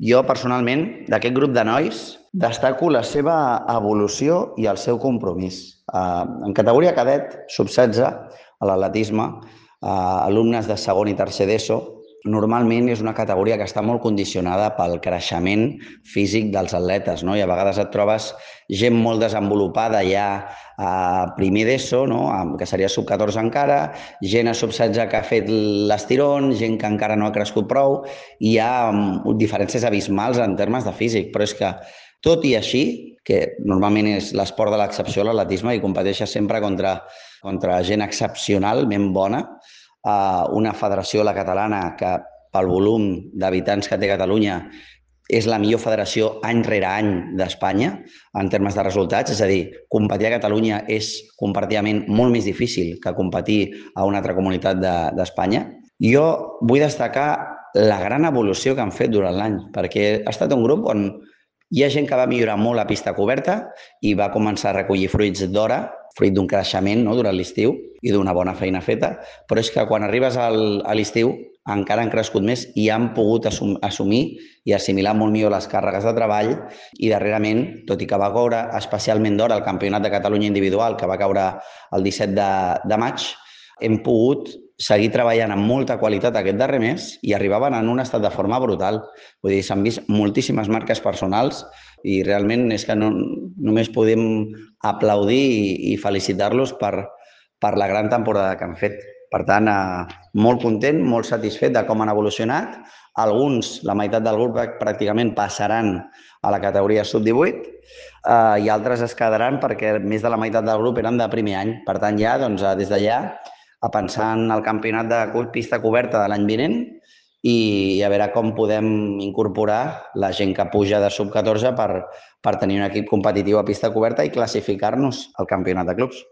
Jo, personalment, d'aquest grup de nois, destaco la seva evolució i el seu compromís. En categoria cadet, sub-16, a l'atletisme, alumnes de segon i tercer d'ESO, normalment és una categoria que està molt condicionada pel creixement físic dels atletes, no? I a vegades et trobes gent molt desenvolupada ja a primer d'ESO, no? Que seria sub-14 encara, gent a sub-16 que ha fet l'estirón, gent que encara no ha crescut prou, i hi ha diferències abismals en termes de físic, però és que, tot i així, que normalment és l'esport de l'excepció, l'atletisme, i competeixes sempre contra gent excepcionalment bona, una federació, la catalana, que pel volum d'habitants que té Catalunya és la millor federació any rere any d'Espanya en termes de resultats, és a dir, competir a Catalunya és comparativament molt més difícil que competir a una altra comunitat d'Espanya. Jo vull destacar la gran evolució que han fet durant l'any, perquè ha estat un grup on hi ha gent que va millorar molt a pista coberta i va començar a recollir fruits d'hora, fruit d'un creixement, no?, durant l'estiu i d'una bona feina feta, però és que quan arribes a l'estiu encara han crescut més i han pogut assumir i assimilar molt millor les càrregues de treball, i darrerament, tot i que va caure especialment d'hora el Campionat de Catalunya individual, que va caure el 17 de maig, hem pogut seguir treballant amb molta qualitat aquest darrer mes i arribaven en un estat de forma brutal. Vull dir, s'han vist moltíssimes marques personals i realment és que només podem aplaudir i felicitar-los per la gran temporada que han fet. Per tant, molt content, molt satisfet de com han evolucionat. Alguns, la meitat del grup pràcticament passaran a la categoria sub-18 i altres es quedaran perquè més de la meitat del grup eren de primer any. Per tant, ja, des d'allà, a pensar en el campionat de pista coberta de l'any vinent i a veure com podem incorporar la gent que puja de sub-14 per tenir un equip competitiu a pista coberta i classificar-nos al campionat de clubs.